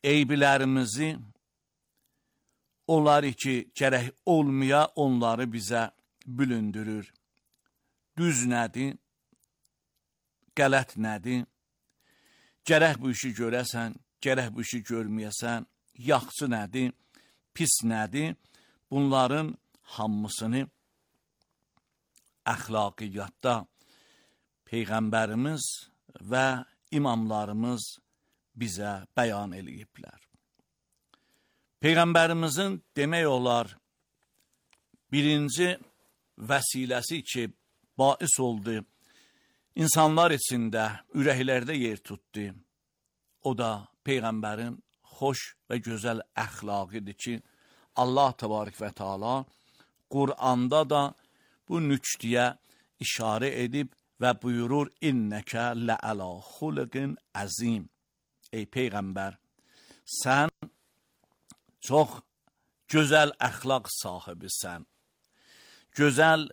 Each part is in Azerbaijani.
eybilərimizi, onları ki, gərək olmaya, onları bizə bülündürür. Düz nədir? Qələt nədir? Gərək bu işi görəsən, gərək bu işi görməyəsən, yaxşı nədir? Pis nədir? Bunların hamısını əxlaqiyyatda Peyğəmbərimiz və imamlarımız bizə bəyan eləyiblər. Peyğəmbərimizin demək olar birinci vəsiləsi ki, bais oldu, insanlar içində, ürəklərdə yer tutdu. O da Peyğəmbərin xoş və gözəl əxlaqıdır ki, Allah təbarək və Teala Qur'anda da bu nüktəyə işarə edib və buyurur, İnnəkə lə'ələ xuluqin əzim. Ey Peyğəmbər, sən çox gözəl əxlaq sahibisən, gözəl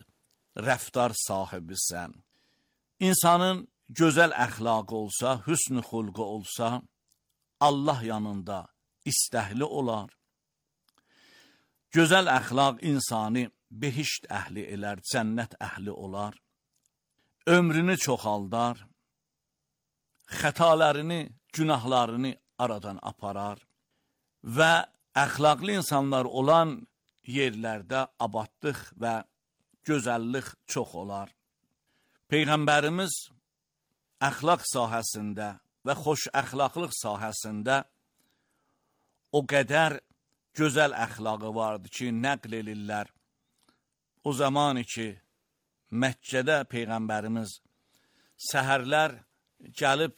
rəftar sahibisən. İnsanın gözəl əxlaqı olsa, hüsn-ü xulqu olsa, Allah yanında istəhli olar. Gözəl əxlaq insanı behişt əhli elər, cənnət əhli olar. Ömrünü çoxaldar, xətalarını, günahlarını aradan aparar və əxlaqlı insanlar olan yerlərdə abadlıq və gözəllik çox olar. Peyğəmbərimiz əxlaq sahəsində və xoş əxlaqlıq sahəsində o qədər gözəl əxlaqı vardı ki, nəql elirlər. O zamanı ki, Məkkədə Peyğəmbərimiz səhərlər gəlib,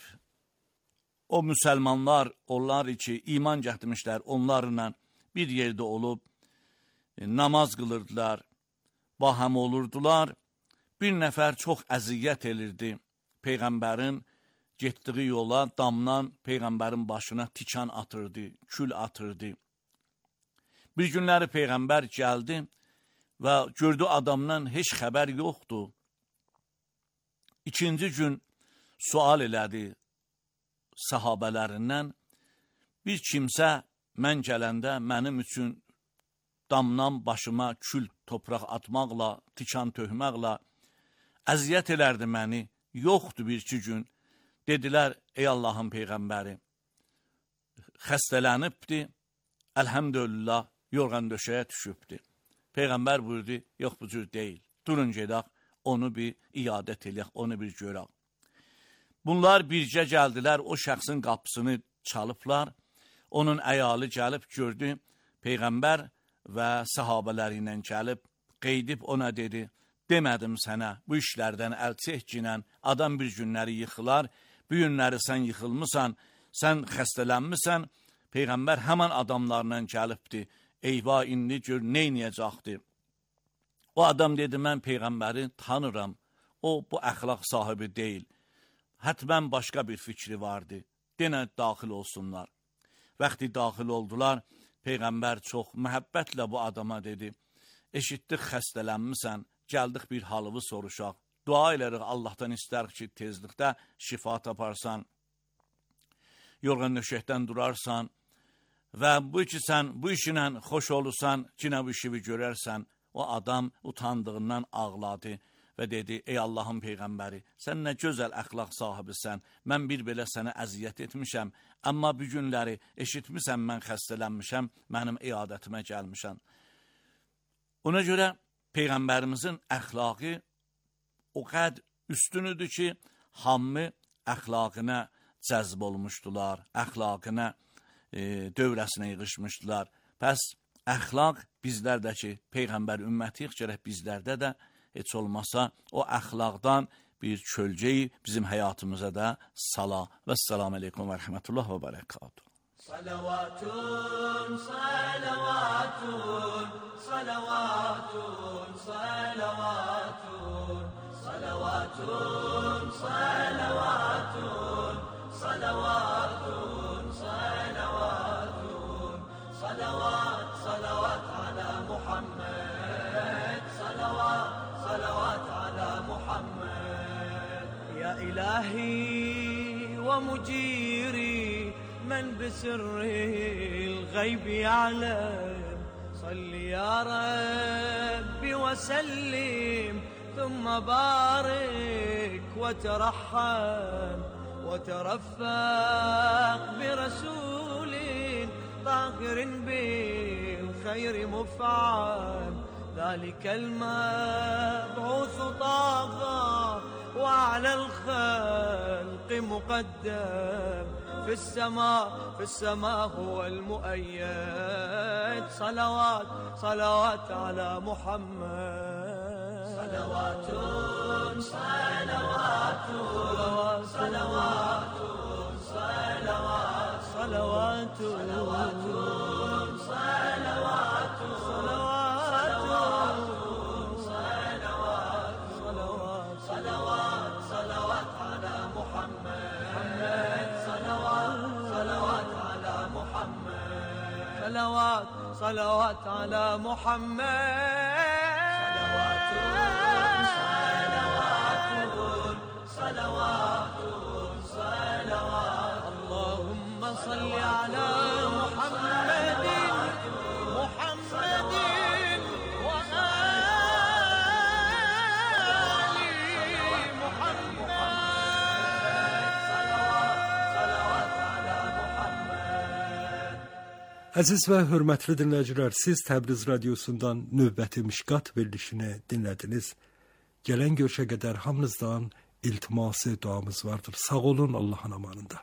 o müsəlmanlar, onlar ki, iman gətirmişlər, onlarla bir yerdə olub, namaz qılırdılar, bahəm olurdular. Bir nəfər çox əziyyət elirdi Peyğəmbərin getdiyi yola, damdan Peyğəmbərin başına tikan atırdı, kül atırdı. Bir günləri Peyğəmbər gəldi və gördü adamdan heç xəbər yoxdur. İkinci gün sual elədi sahabələrindən, bir kimsə mən gələndə mənim üçün damdan başıma kül topraq atmaqla, tikan töhməklə əziyyət elərdi məni, yoxdur bir-iki gün. Dedilər, ey Allahın Peyğəmbəri, xəstələnibdi, əlhəmdülillah, yorğan döşəyə düşübdi. Peyğəmbər buyurdu, yox bu cür deyil, durun gedək, onu bir iadət eləyək, onu bir görək. Bunlar bircə gəldilər, o şəxsin qapısını çalıblar, onun əyalı gəlib gördü, Peyğəmbər və sahabələri ilə gəlib, qeydib ona dedi, demədim sənə, bu işlərdən əl çək ki, adam bir günləri yıxılar, bu günləri sən yıxılmısan, sən xəstələnmisən, Peyğəmbər həmən adamlarla gəlibdi, eyvah, indi gör, neynəyəcəkdir? O adam dedi, mən Peyğəmbəri tanıram, o bu əxlaq sahibi deyil, hətmən başqa bir fikri vardı, denə daxil olsunlar. Vaxtı daxil oldular, Peyğəmbər çox məhəbbətlə bu adama dedi, eşitdik xəstələnmisən, gəldik bir halını soruşaq, dua elərik, Allahdan istərik ki, tezlikdə şifa taparsan, yorğan döşəkdən durarsan və bu ki, sən bu işinlə xoş olursan, cinə bu işi görərsən, o adam utandığından ağladı və dedi, ey Allahın Peyğəmbəri, sən nə gözəl əxlaq sahibisən, mən bir belə sənə əziyyət etmişəm, amma bu günləri eşitmişəm, mən xəstələnmişəm, mənim iadətimə gəlmişəm. Ona görə Peyğəmbərimizin əxlaqı o qəd üstünüdür ki, hamı əxlaqına cəzb olmuşdular, əxlaqına dövrəsinə yığışmışdılar. Pəs əxlaq bizlərdəki Peyğəmbər ümmətiyik, gərək bizlərdə də heç olmasa o əxlaqdan bir kölgəyi bizim həyatımıza da sala. Vəssalamu aleykum və rəhmətullah və bərəkatuhu. Salavatun, salavatun, salavatun, salavatun, salavatun, salavatun, salavatun, salavatun, salavat, salavat ala Muhammed, salavat, salavat ala Muhammed. Ya ilahi ve muciri, من سري الغيب يعلم. صل يا ربي وسلم ثم بارك وترحم وترفق برسول طاهر بالخير مفعم. ذلك المبعوث طه وعلى الخلق مقدم. في السماء هو المؤيد. صلوات على محمد. صلوات صلوات صلوات صلوات صلوات صلوات صلوات صلوات على محمد. صلوات على محمد. صلوات على محمد. صلوات اللهم صل على محمد وآل محمد. صلوات على محمد. Əziz və hörmətli dinləyicilər, siz Təbriz Radiosundan növbəti Mişqat verilişini dinlədiniz. Gələn görüşə qədər hamınızdan iltiması duamız vardır. Sağ olun, Allah'ın amanında.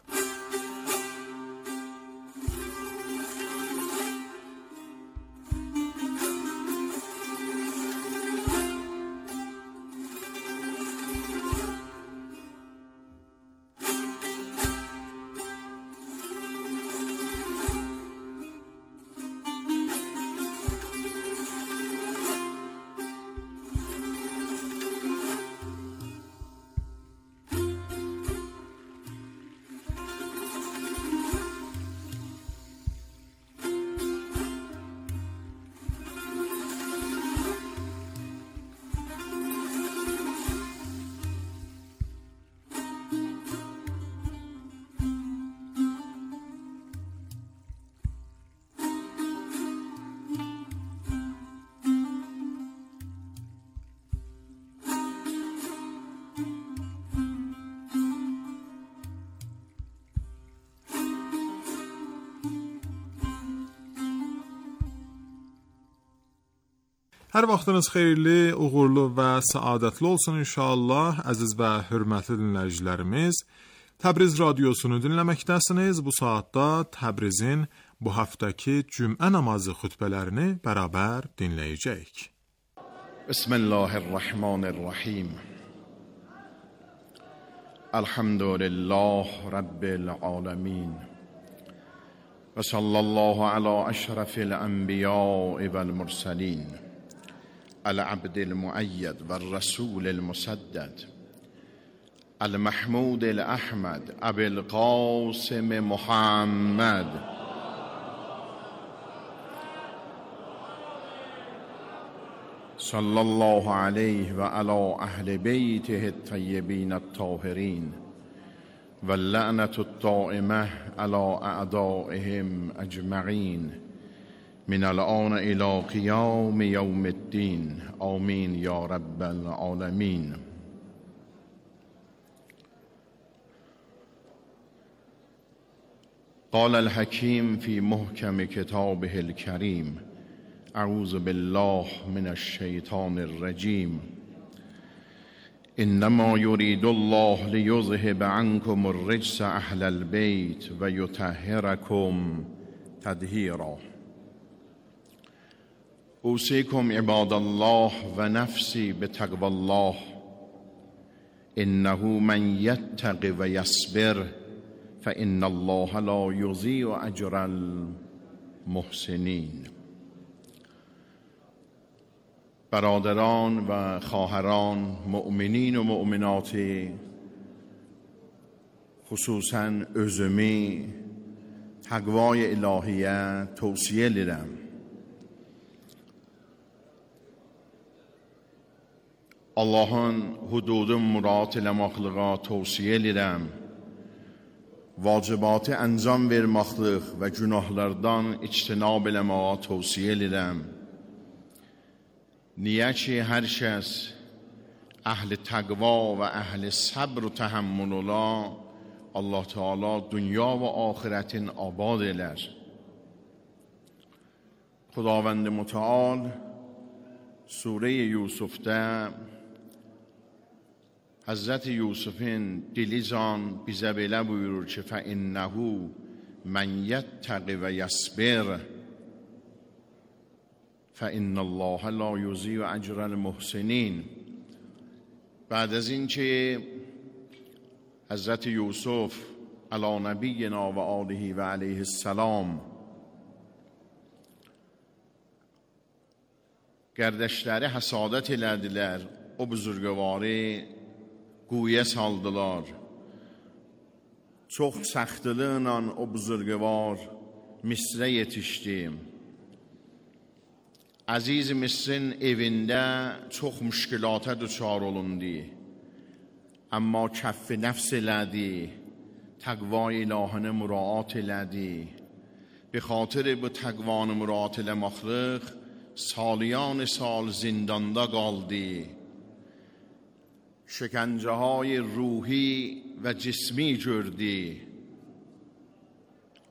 Hər vaxtınız xeyirli, uğurlu və səadətli olsun inşallah. Əziz və hörmətli dinləyicilərimiz, Təbriz Radiosunu dinləməkdəsiniz. Bu saatda Təbrizin bu həftəki cümə namazı xutbələrini bərabər dinləyəcəyik. Bismillahirrahmanirrahim. Elhamdülillah Rabbil alemin. Və sallallahu ala əşrafil ənbiya'i vəl mursalin. العبد المؤيد والرسول المسدد المحمود الأحمد أبي القاسم محمد صلى الله عليه وعلى أهل بيته الطيبين الطاهرين واللعنة الدائمة على أعدائهم أجمعين من الآن إلى قيام يوم الدين آمين يا رب العالمين. قال الحكيم في محكم كتابه الكريم أعوذ بالله من الشيطان الرجيم إنما يريد الله ليذهب عنكم الرجس أهل البيت ويطهركم تطهيرا. أوصيكم عباد الله ونفسي بتقوى الله إنه من يتق ويصبر فإن الله لا يضيع أجر المحسنين. برادران و خواهران، مؤمنین و مؤمناتی، خصوصاً özümü taqvay ilahiyə tövsiyə edirəm. Allah'ın hududun murat eləmaqlığa tövsiyə edirəm vacibatı anjam vermaqlıq və günahlardan ictinab eləməyə tövsiyə edirəm. Niyə ki, hər kəs əhl-i təqva və əhl-i səbr و təhəmmül ola, Allah Teala dünya və axirətin abad elər. خداوند متعال سوره یوسف'də Həzrət Yusuf'un dilican bizə belə buyurur ki, فَإِنَّهُ مَنْ يَتَّقِ وَيَصْبِرْ فَإِنَّ اللَّهَ لَا يُضِيعُ أَجْرَ الْمُحْسِنِينَ. بعد از این که حضرت یوسف علی نبینا و آله و علیه السلام Qərdəşləri həsadət elədilər, o buzurgəvarı quyuya saldılar. Çox səxtlıqla o buzurgəvar Misrə yetişdi. Əziz Misrin evində çox müşkilata düçar olundu. Amma kəff nəfs elədi, təqva ilahını müraat elədi. Be xatir bu təqvanı müraat eləmaqlıq سالیان سال زندانده قالدی. شکنجه های روحی و جسمی جردی،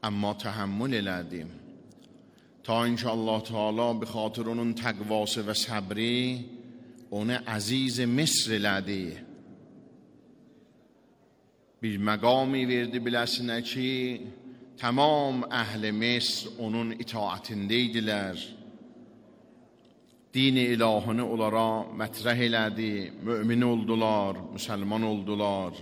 اما تحمل الادیم تا اینکه الله تعالی به خاطر اون تقواس و صبری اون عزیز مصر الادی. bir مقامی verdi biləsinə ki tamam əhl-i Misr onun itaatindeydiler. Dini ilahını onlara mətrəh elədi, mümin oldular, müsəlman oldular.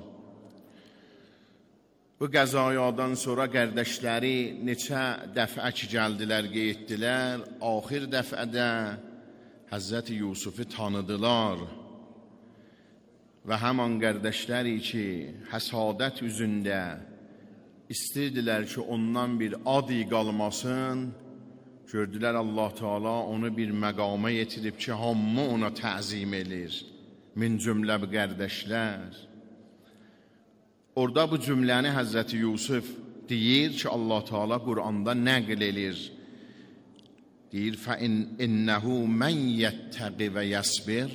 Bu qəzayadan sonra qərdəşləri neçə dəfə ki gəldilər, getdilər. Axir dəfədə Həzrət Yusufu tanıdılar. Və həman qərdəşləri ki, həsadət üzündə istəyirdilər ki, ondan bir adi qalmasın, gördülər Allah Teala onu bir məqama yetirib ki, hamı ona təzim edir. Min cümlə bu qərdəşlər. Orada bu cümləni Həzrəti Yusuf deyir ki, Allah Teala Qur'anda nəql edir. Deyir, فَإِنَّهُ مَنْ يَتَّقِ وَيَصْبِرْ.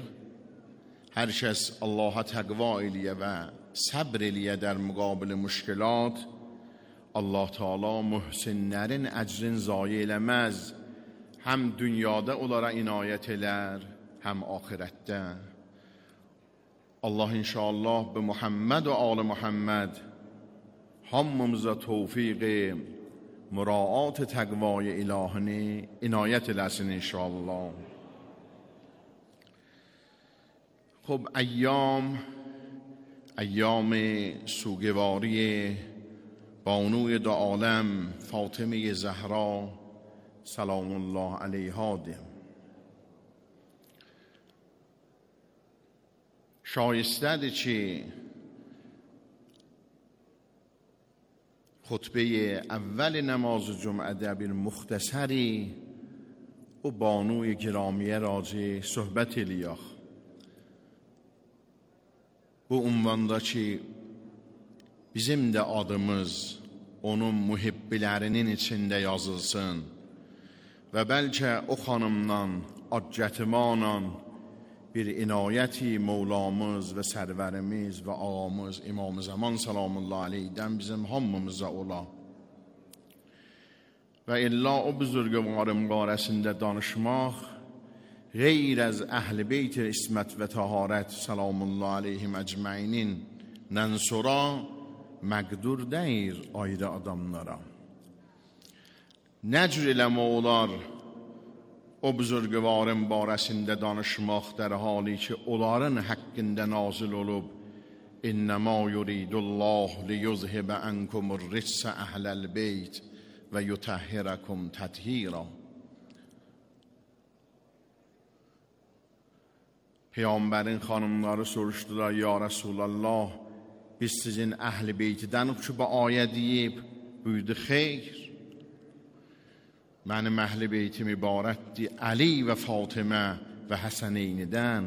Hər kəs Allaha təqva eləyə və səbr eləyə در مقابل müşkilat, Allah Teala mühsinlərin əcrin zayi eləməz. Həm dünyada onlara inayət elər, həm axirətdə. Allah inşallah به Muhammed و آل محمد hamımıza tövfiq muraat təqvای ilahini inayət eləsin inşallah. خب ایام سوگواری بانوی دو عالم فاطمه زهرا سلام الله علیها ده. شایسته چی خطبه اول نماز جمعه ده bir مختصری o بانوی گرامیه راجع صحبت eliyaq. Bu unvanda ki bizim de adımız onun muhibbilərinin içində yazılsın və bəlkə o xanımdan, acətimanan bir inayəti Mevlamız və sərvərimiz və ağamız İmam-ı Zaman salamullah aleyhdən bizim hamımıza ola. Və illa o buzurgvarın barəsində danışmaq غیر از اهل بیت اسمت و طهارت سلام الله علیهم ecmainin sonra məqdur deyir ayrı adamlara. Nə cür eləmə olar o buzurgvarın barəsində danışmaq در حالی که onların haqqında nazil olub İnnəmə yuridullah liyuzhibə ənkumur ritsə əhləl beyt və yutəhhirəkum təthira. Peygamberin xanımları soruşdular, ya Resulallah, biz sizin əhl-i beytidən ki, bu ayə deyib, buyurdu, xeyr. Mənim əhl-i beytim ibarətdir Əli və Fatimə və Həsəneynidən.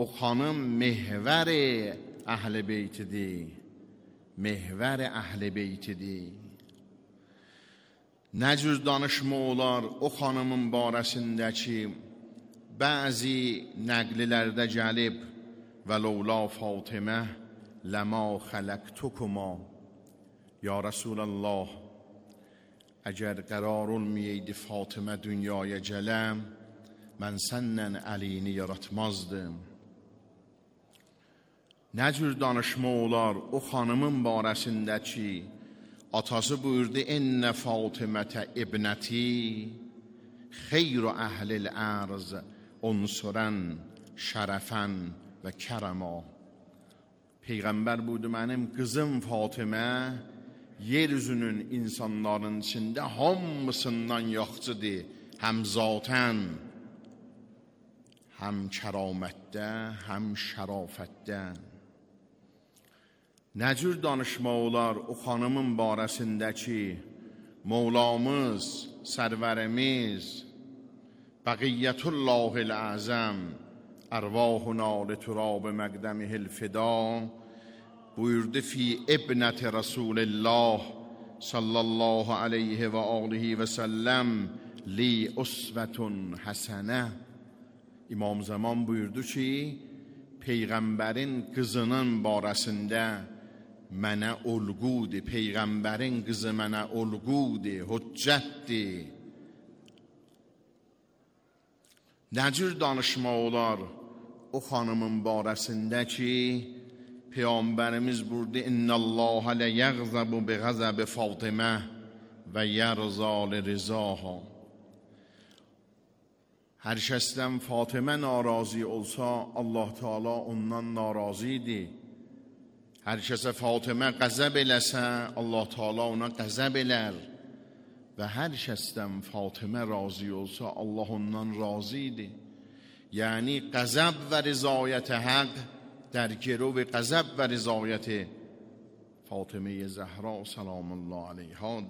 O xanım mehvər əhl-i beytidir mehvər əhl-i beytidir. Nə cür danışma olar o xanımın barəsindəki bəzi nəqlilərdə gəlib və ləula Fatimə ləma xələqtukuma. Ya Rasulallah, əgər qərar olmayaydı Fatimə dünyaya gələm, mən səndən əlini yaratmazdım. Nə cür danışma olar o xanımın barəsindəki atası buyurdu ennə Fatimətə ibnəti xeyru əhlil ərz unsurən şərəfən və kərəma. Peyğəmbər buyurdu mənim qızım Fatimə yeryüzünün insanların içində hamısından yaxşıdır, həm zatən, həm kəramətdə, həm şərafətdə. Nə cür danışma olar o xanımın barəsindəki Mevlamız, sərvərimiz Bəqiyyətullahil Əzəm ərvahuna liturab məqdəmihil fida buyurdu fi ibnəti Rasulillah sallallahu aleyhi və alihi və səlləm li usvetun həsənə. İmam Zaman buyurdu ki, Peyğəmbərin qızının barəsində mənə olğudur, Peyğəmbərin qızı mənə olğudur, hüccətdir. Nə cür danışma olar o xanımın barəsində ki, Peyğəmbərimiz buyurdu İnnəllâhə lə yəğzəbu bi ğəzəbi Fatimə və yərza li rizaha. Hər kəsdən Fatimə narazı olsa, Allah Teala ondan narazıdır. Hər kəsə Fatimə qəzəb eləsə, Allah Teala ona qəzəb elər. Və hər kəsdən Fatimə razı olsa, Allah ondan razıdır. Yəni qəzəb və rizayət həq در گرو غضب و رضایت فاطمه زهرا سلام الله علیها.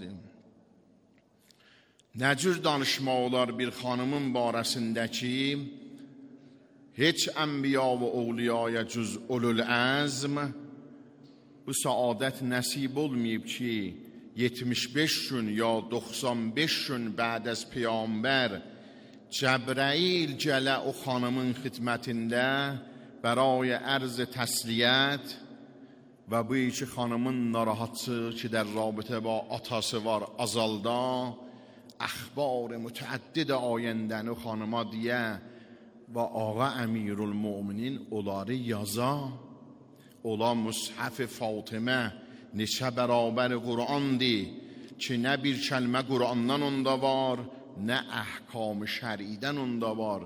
Nə cür danışma olar bir xanımın barəsindəki heç ənbiya və ovliyaya cüz ulul əzm bu saadət nəsib olmayıb ki 75 gün ya 95 gün bəd az Peyğəmbər Cəbrəil gələ o xanımın xidmətində برای عرض تسلیت و bu iki xanımın narahatçı ki در رابطه با atası var azalda اخبار متعدد ayəndən o xanıma deyə və ağa əmirülmüminin onları yaza. Ola Mushaf Fatimə neçə bərabər Qur'andır ki nə bir kəlmə Qur'andan onda var, nə əhkam şər'idən onda var.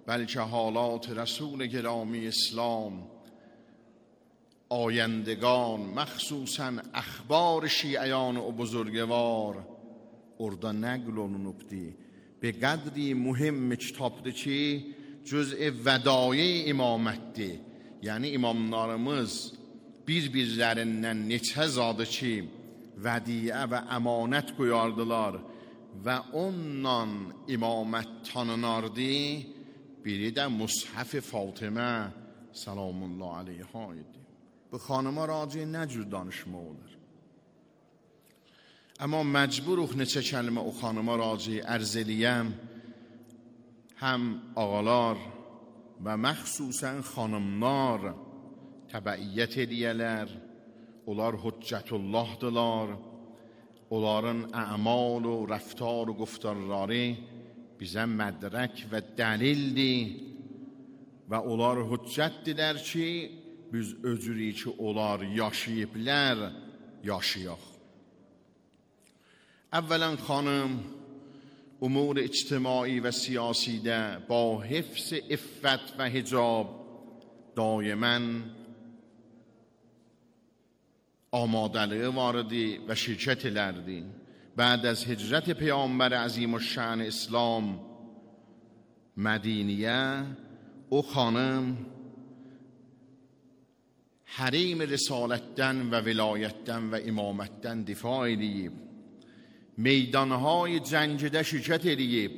بلکه حالات رسول گرامی اسلام آیندگان مخصوصا اخبار شیعیان و بزرگوار orada nəql olunubdur. به قدری مهم kitabdır ki cüz'i vədai imamətdir. Yəni imamlarımız bir-birlərindən neçə zadı ki vədiyə və əmanət qoyardılar və ondan imamət tanınardı. Biri də Mushaf Fatimə salamullah aleyha idi. Bu xanıma raci nə cür danışma olar? Amma məcburuq neçə kəlmə o xanıma raci ərz eləyəm. Həm ağalar və məxsusən xanımlar təbəiyyət ediyələr. Onlar hüccətullahdılar. Onların əmal و رفتار و گفتارları bizə mədrək və dəlildir və onlar hüccətdirlər ki, biz öcürük ki, onlar yaşayıblər, yaşayaq. Əvvələn xanım, umur ictimai və siyasidə با حفظ iffət və hicab daimən آمادگی واردی و شرکت لردی. بعد از هجرت پیامبر عظیم الشأن اسلام مدینیه او خانم حریم رسالتden و ولایتden و امامتden دفاع edib meydanهای جنگdə şirkət edib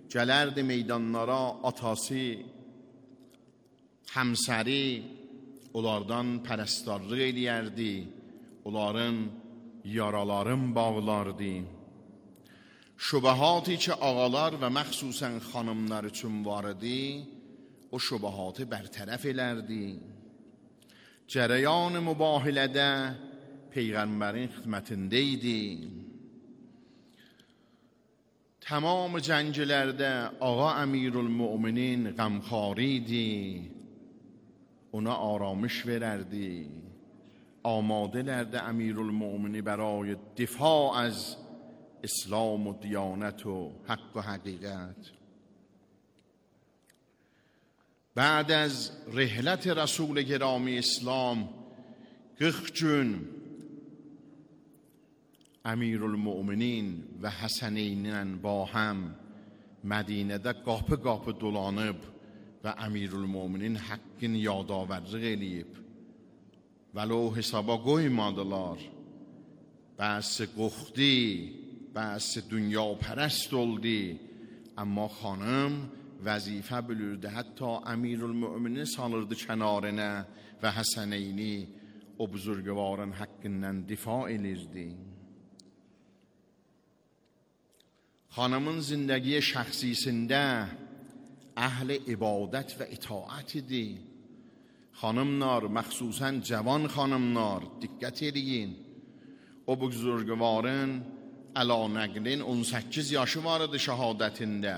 gələrdi meydanlara atası həmsəri onlardan pərəstarlıq edərdi onların yaraların bağlardı. Şübahati ki ağalar və məxsusən xanımlar üçün var idi, o şübahatı bərtərəf elərdi. Cərəyan mübahilədə Peyğəmbərin xidmətində idi. Tamam cənglərdə ağa Əmirülmüminin qəmxari idi. Ona aramış verərdi. Amadelərdə Əmirülmümini برای دفاع از اسلام و دیانت و حق و حقیقت. بعد از رحلت رسول گرامی اسلام 40 gün Əmirülmüminin və Həsəneynin با هم Mədinədə qapı-qapı dolanıb və Əmirülmüminin haqqın yadavərlik eləyib. Vəlo hesaba qoymadılar. Bəzi qoxdi, bəzi dünya pərəst oldu. Amma xanım vəzifə bilirdi. Hətta Əmirülmümini salırdı kənarına və Həsəneyni o buzurgvarın haqqından difa elirdi. Xanımın zindagi şəxsisində əhl-i ibadət və itaət idi. Xanımlar, məxsusən cavan xanımlar, diqqət edin. O buzurgvarın əla nəqlin 18 yaşı var idi şəhadətində.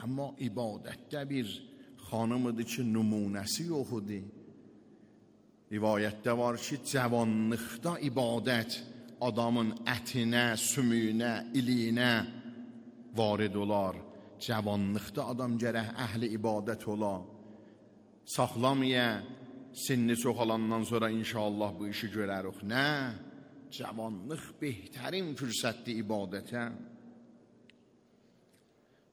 Amma ibadətdə bir xanım idi ki, nümunəsi yox idi. Rivayətdə var ki, cavanlıqda ibadət adamın ətinə, sümüyünə, iliyinə varid olar. Cavanlıqda adam gərək əhli ibadət ola. Saxlamaya, sinni çoxalandan sonra inşallah bu işi görərik. Nə? Cavanlıq behtarin fürsətdir ibadətə.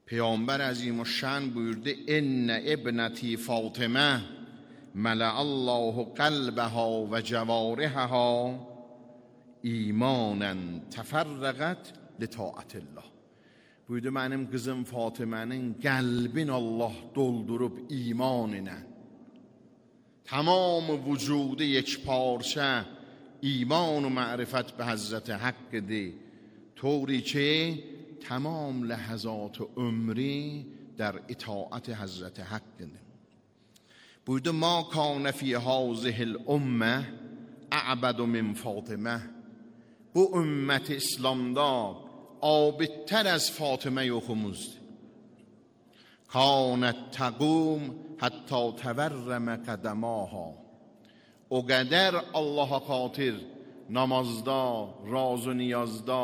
Peyğəmbər Əzimüşşən buyurdu: "İnnə ibnəti Fatimə məla'allahu qəlbəhə və cəvarihəhə imanən təfərrəqət lita'atillah." Buyurdu, mənim qızım Fatimənin qəlbin Allah doldurub iman ilə. Tamam vücudu yekparça iman و معرفت به حضرت حق دی، طوری که تمام لحظات عمری در اطاعت حضرت حق دی. بوده ما کان فی هذه الامه اعبد من فاطمه. bu ümmet İslam'da abidtər از فاطمه yoxumuzdur. کانت تقوم حتی تورم قدماها. O qədər Allaha xatir namazda, raz و niyazda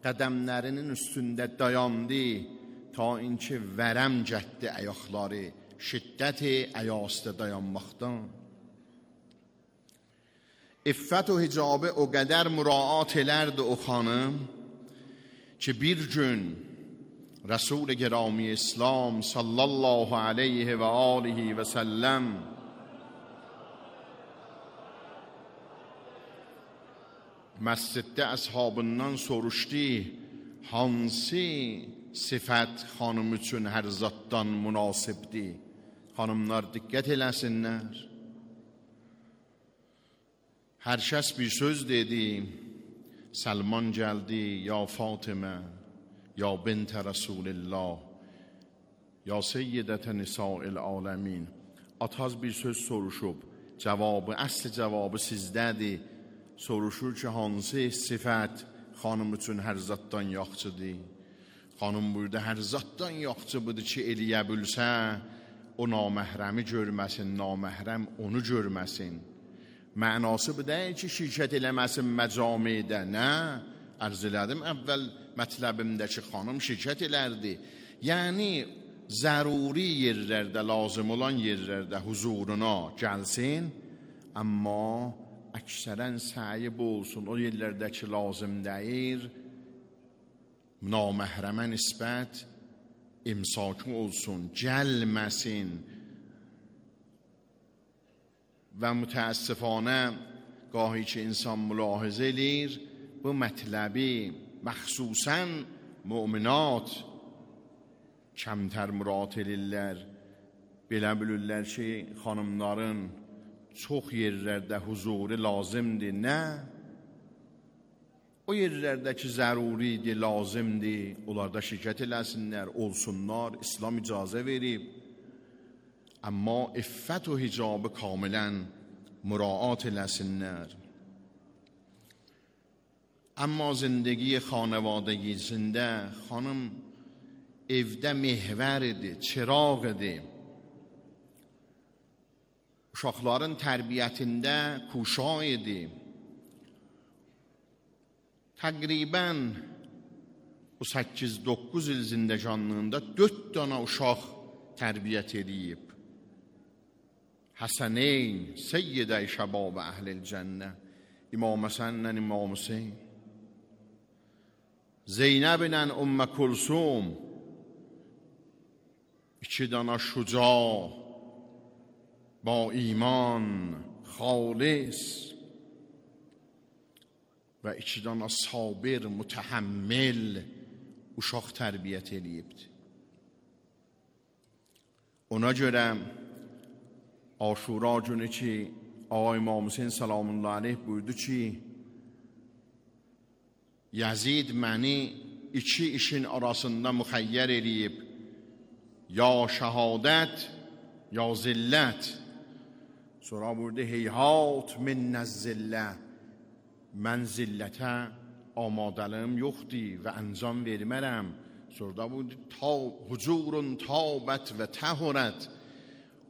qədəmlərinin üstündə dayandı ta inki vərəm cətdi ayaqları şiddəti ayasda dayanmaqdan. İffət و hicabı o qədər müraat elərdi o xanım ki bir gün Resul گرامی اسلام sallallahu aleyhi ve alihi ve sellem məsciddə əshabından soruşdu, hansı sifət xanım üçün hər zatdan münasibdir? Xanımlar diqqət eləsinlər. Hər kəs bir söz dedi. Salman gəldi, ya Fatimə, ya bint Rasulillah, ya seyyidətə nisa'il aləmin. Ataz bir söz soruşub, cavabı, əsl cavabı sizdədir. Soruşur ki, hansı sifət xanım üçün hər zatdan yaxçıdır? Xanım buyurdu, hər zatdan yaxçı budur ki, eləyə bilsə, o naməhrəmi görməsin, naməhrəm onu görməsin. Mənası bu deyil ki, şirkət eləməsin məcamidə. Nə? Ərz elədim əvvəl mətləbimdəki xanım şirkət elərdi. Yəni, zəruri yerlərdə, lazım olan yerlərdə huzuruna gəlsin, amma əksərən səyi bu olsun, o yerlərdəki lazım deyir, naməhrəmə nisbət imsakı olsun, gəlməsin. Və mütəəssifانه گاهی که insan mülahizə edir, bu mətləbi məxsusən müminat kəmtər mürat edirlər. Belə bilirlər ki, xanımların çox yerlərdə huzuru lazımdır. Nə? o yerlərdə ki, zəruridir, lazımdır, onlarda şirkət eləsinlər, olsunlar, İslam icazə verib. Amma iffət و hicabı kamilən muraat eləsinlər. Amma zindگی خانوادگیسində xanım evdə mehvəridir, çırağıdır. Uşaqların tərbiyətində kuşayıdır. Təqribən bu 8-9 il zindəcanlığında 4 dana uşaq tərbiyyət edib. Həsəneyn, seyyidə-i şəbab əhl-i cənnə, İmam Həsənlə İmam Hüseyn, Zeynəblə Ümmə Kulsum, 2 dana şuca, با ایمان خالص و 2 dana sabir, mütəhəmmil uşaq tərbiyyət edibdir. Ona görə Aşura günü ki, Ağa İmam Hüseyin salamullah aleyh buyurdu ki, Yazid məni 2 işin arasında müxəyyər edib, ya şəhadət, ya zillət. Sonra buyurdu, heyhat minnəz zillə, mən zillətə amadəliyim yoxdur və əncam vermərəm. Sonra buyurdu, hucurun tabət və təhurət,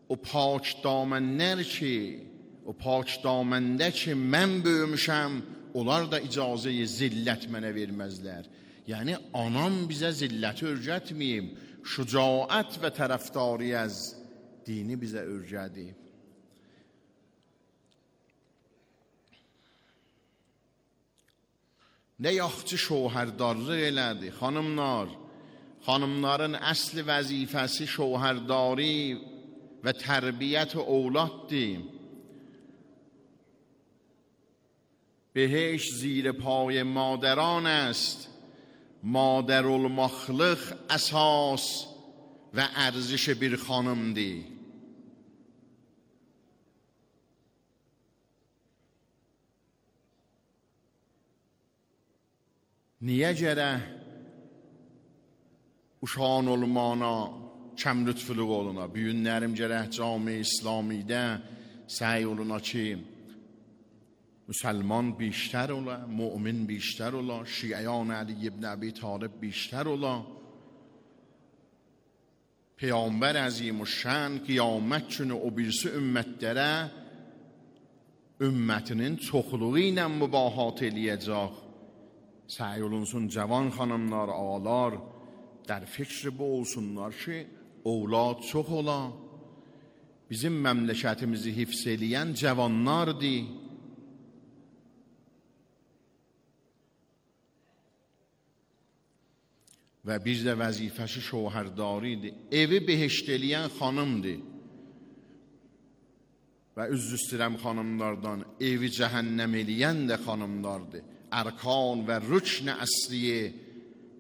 o pak damənlər ki, o pak daməndə ki, mən böyümüşəm, onlar da icazəyi zillət mənə verməzlər. Yəni, anam bizə zilləti örgətməyib, şücaət və tərəfdari az dini bizə örgədib. Nə yaxçı şohərdarlıq elədi, xanımlar. Xanımların əsli vəzifəsi şohərdari və tərbiyyət ovladdır. بهشت زیر پای مادران است، مادر المخلق اساس و ارزش bir xanımdır. Niyə gərək uşağın olmana kəm lütfülük oluna? Büyünlərim gərək cami İslamidə səy oluna ki, مسلمان بیشتر ola, mümin بیشتر ola, şiyan علی ابن ابی طالب بیشتر ola. Peyğəmbər əzimüşşən qiyamət günü o birisi ümmətlərə ümmətinin çoxluğu ilə mübahat eləyəcək. Səy olunsun cavan xanımlar, ağalar در فکر bu olsunlar ki, اولاد çox ola. Bizim məmləkətimizi hifz eləyən cavanlardır. Və bir də vəzifəsi şohərdaridir. Evi behişt eləyən xanımdır. Və üzr istəyirəm xanımlardan, evi cəhənnəm eləyən də xanımlardır. Ərkan və rükn əsliyə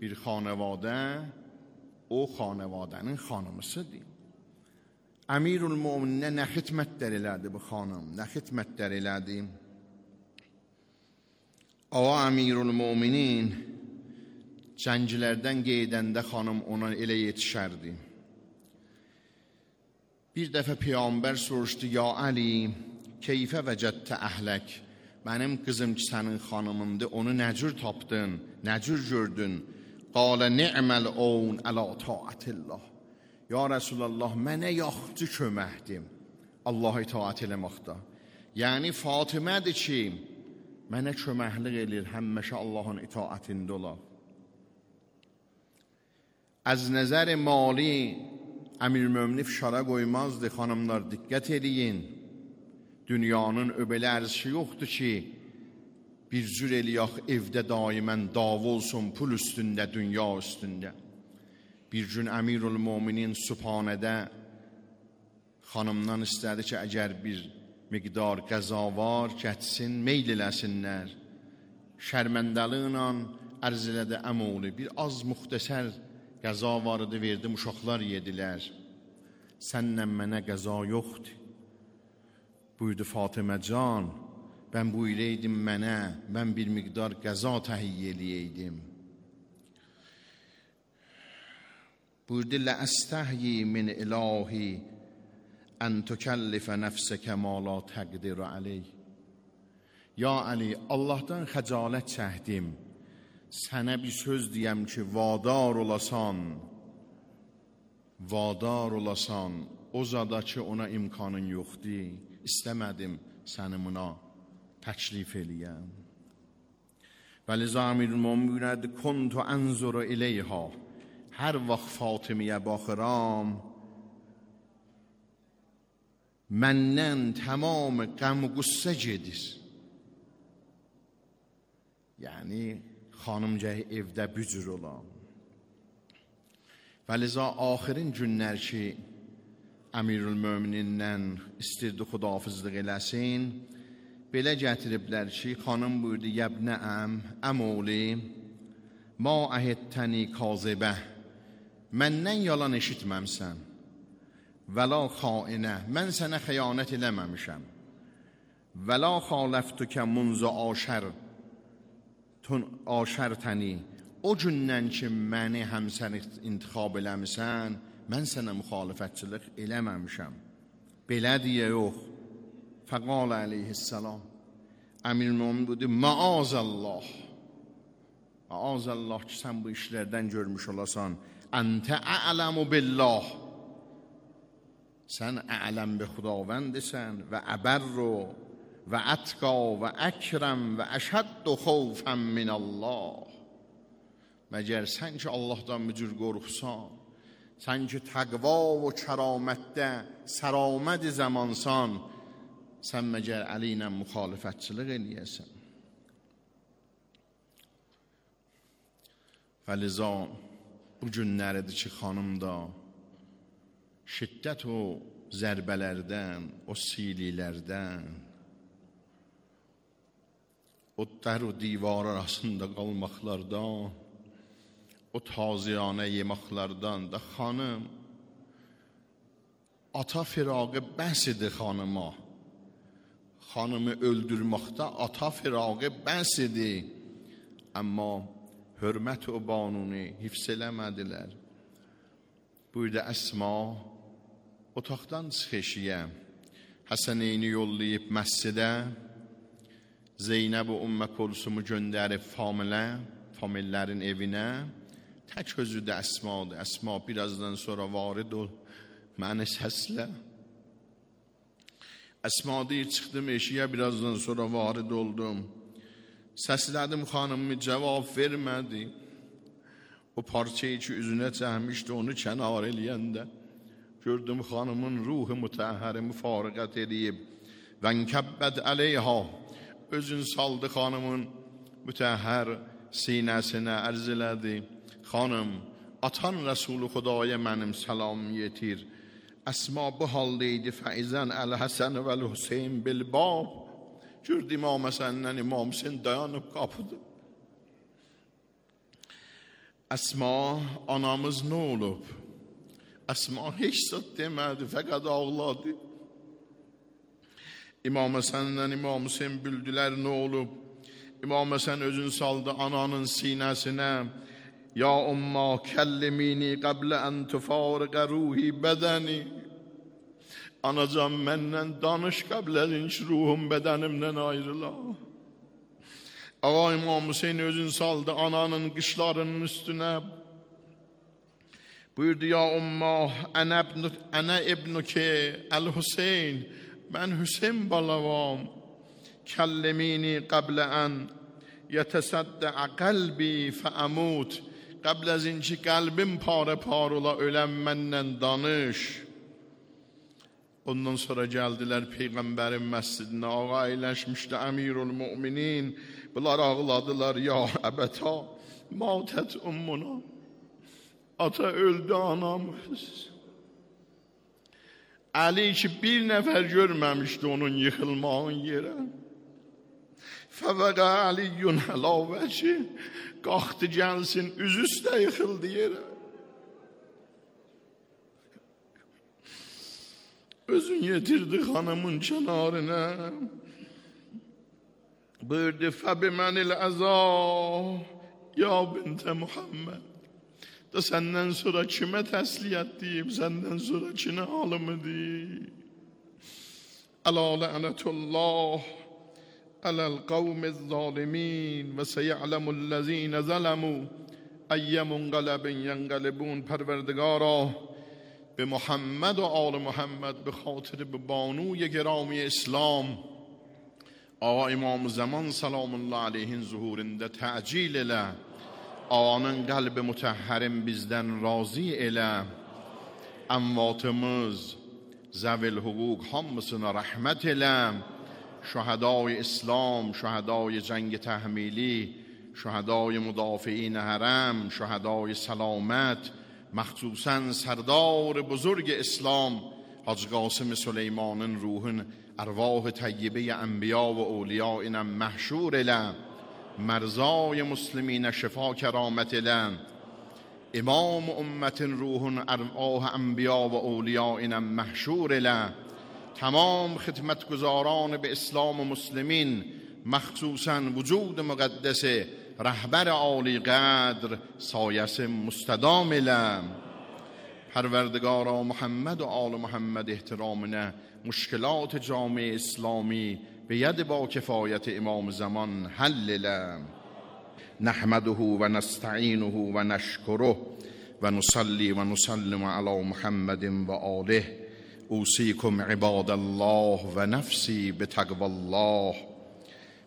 bir xanəvadə, o xanəvadənin xanımısıdır. Əmirül-Mömininə nə xidmətlər elədi bu xanım, nə xidmətlər elədi? Ağa Əmirül-Möminin cənglərdən qeydəndə xanım ona elə yetişərdi. Bir dəfə Peyğəmbər soruşdu, ya Əli, keyfə vəcədtə əhlək? Mənim qızım ki, sənin xanımındır, onu nə cür tapdın, nə cür gördün? Qalə ni'məl oun ələ taətillah. Ya Rəsulallah, mənə yaxçı köməkdim Allah itaət eləməkdə. Yəni Fatimədir ki, mənə köməklik elir, həmməşə Allahın itaətində olar. از نظر مالی Əmir-Mömini fişara qoymazdı, xanımlar diqqət eləyin. Dünyanın öbəli ərzişi yoxdur ki, bir cür eləyək evdə daimən dava olsun pul üstündə, dünya üstündə. Bir gün Əmirül-Möminin Sübhanədə xanımdan istədi ki, əgər bir miqdar qəza var, gətsin, meyl eləsinlər. Şərməndəliklə ərz elədi əmoğlu, bir az müxtəsər qəza vardı, verdim, uşaqlar yedilər. Səndən mənə qəza yoxdur. Buyurdu Fatimə can, Mən buyuraydım mənə, mən bir miqdar qəza təhiyyə eləyəydim. Buyurdu, لَأَسْتَحْيِي مِنْ إِلَٰهِ أَنْ تُكَلِّفَ نَفْسَكَ مَا لَا تَقْدِرُ عَلَيْهِ. Ya Ali, Allahdan xəcalət çəkdim. Sənə bir söz deyəm ki, vadar olasan, o zada ki, ona imkanın yoxdur. İstəmədim səni buna təklif eləyəm. Vəliza Əmirulmömin buyurdu, kuntu anzuru ilayha. Hər vaxt Fatimiyə baxıram, məndən tamam qəm qüssə gedir. Yəni xanımcə evdə bücür olan. Vəliza axirin günlər ki, Əmirülmöminindən istirdi xudafizlik eləsin, belə gətiriblər ki, xanım buyurdu, yəbnəm, əmoğli, ma əhəttəni kazibə, məndən yalan eşitməmsən, vəla xainə, mən sənə xəyanət eləməmişəm, vəla xaləftükə munzu aşərtəni, o gündən ki, məni həmsən intiqab eləmişsən, mən sənə müxalifətçilik eləməmişəm. Belə deyə yox. Fəqalə əleyhissalam. Əmirulmömin buyurdu, maazəllah. Maazəllah ki, sən bu işlərdən görmüş olasan. Əntə a'ləmu billah. Sən a'ləm bi xudavəndisən və əbərru və ətqa və əkrəm və əşəddu xovfən minəllah. Məgər sən ki, Allahdan mücür qorxusan, sən ki, təqva və kəramətdə səraməd-i zəmansan, sən məgər Əli ilə müxalifətçilik eləyəsən. Fəliza bu günləridir ki, xanım da şiddət o zərbələrdən, o sililərdən, o dər o divar arasında qalmaqlardan, o taziyanə yemaqlardan da xanım, ata firağı bəs idi xanıma. Xanımı öldürməkdə ata firağı bəs idi. Amma hörmət o banunu hifz eləmədilər. Buyurdu Əsma, otaqdan çıxışıya Həsəneyni yollayıb məscidə, Zeynəb-i Ümmə Kulsumu göndərib famillərin evinə, tək özü də Əsmadır. Əsma birazdan sonra varid ol, məni səslə. Əsma deyir, çıxdım eşiyə, birazdan sonra varid oldum. Səslədim, xanımı cavab vermədi. O parçayı ki, üzünə çəkmişdi, onu kənar eləyəndə gördüm, xanımın ruhu mütəhəri müfariqət edib. Vənkəbbəd əleyha, özün saldı xanımın mütəhər sinəsinə ərz elədi. Xanım, atan Rəsulü Xudaya mənim salam yetir. Əsma bu haldaydı, fəizən Əl-Həsən və Əl-Hüseyin bilbab. Gördü İmam Həsəndən İmam Hüseyin dayanıb qapıdı. Əsma, anamız nə olub? Əsma heç zat demədi, fəqət ağladı. İmam Həsəndən İmam Hüseyin bildilər nə olub. İmam Həsən özün saldı ananın sinəsinə. Ya umma kəllimini qəblə ən tufariqə ruhi bədəni. Anacan, məndən danış qəblərin ki, ruhum bədənimdən ayrıla. Ağa İmam Hüseyin özün saldı ananın qışlarının üstünə. Buyurdu, ya umma, ənə ibnuki Əl-Hüseyin, mən Hüseyin balavam. Kəllimini qəblə ən yətəsəddə qəlbi fəəmut. Qəbl əzin ki, qəlbim parə-par ola, öləm məndən danış. Ondan sonra gəldilər Peyğəmbərin məscidinə, ağa əyləşmişdi Əmirülmüminin. Bunlar ağladılar, ya əbəta, matət ummuna. Ata öldü anamız. Əli ki, bir nəfər görməmişdi onun yıxılmağın yerə. Fəvəqə Əliyyün əlavəci, qalxdı gəlsin, üzü üstə yıxıldı yerə. Özün yetirdi xanımın kənarına. buyurdu فَبِمَنِ الْعَزَا ya bint Muhammed. Da senden sonra kime tesliyyat diyeyim, senden sonra kime halımı diyeyim. Ala la'netullah alel kavmiz zalimin ve seya'lemullezine zalemu eyyemun galebin yengalibun. پروردگارا به محمد و آل محمد به خاطر به بانوی گرامی اسلام آقا امام زمان سلام الله علیه'in zuhurunda təcil elə. Ağanın qəlbi mütəhhərim bizdən razı elə. Əmvatımız, zəvil hüquq hamısına rəhmət elə. Şəhədai İslam, şəhədai cəng təhmili, şəhədai müdafiin hərəm, şəhədai səlamət, məxsusən sərdar buzurg İslam Hacı Qasım Süleymanın ruhun ارواح طیبه انبیا و اولیا اینم محشور اله. مرزای مسلمین شفا کرامت اله. امام امت روح ارواح انبیا و اولیا اینم محشور اله. تمام خدمتگزاران به اسلام و مسلمین مخصوصا وجود مقدس رهبر عالی قدر سایس مستدام اله. پروردگارا محمد و آل محمد احترامنا مشکلات جامعه اسلامی به ید با کفایت امام زمان حل له. نحمده و نستعینه و نشکره و نصلی و نسلم علی محمد و آله. اوصیکم عباد الله و نفسی بتقوی الله.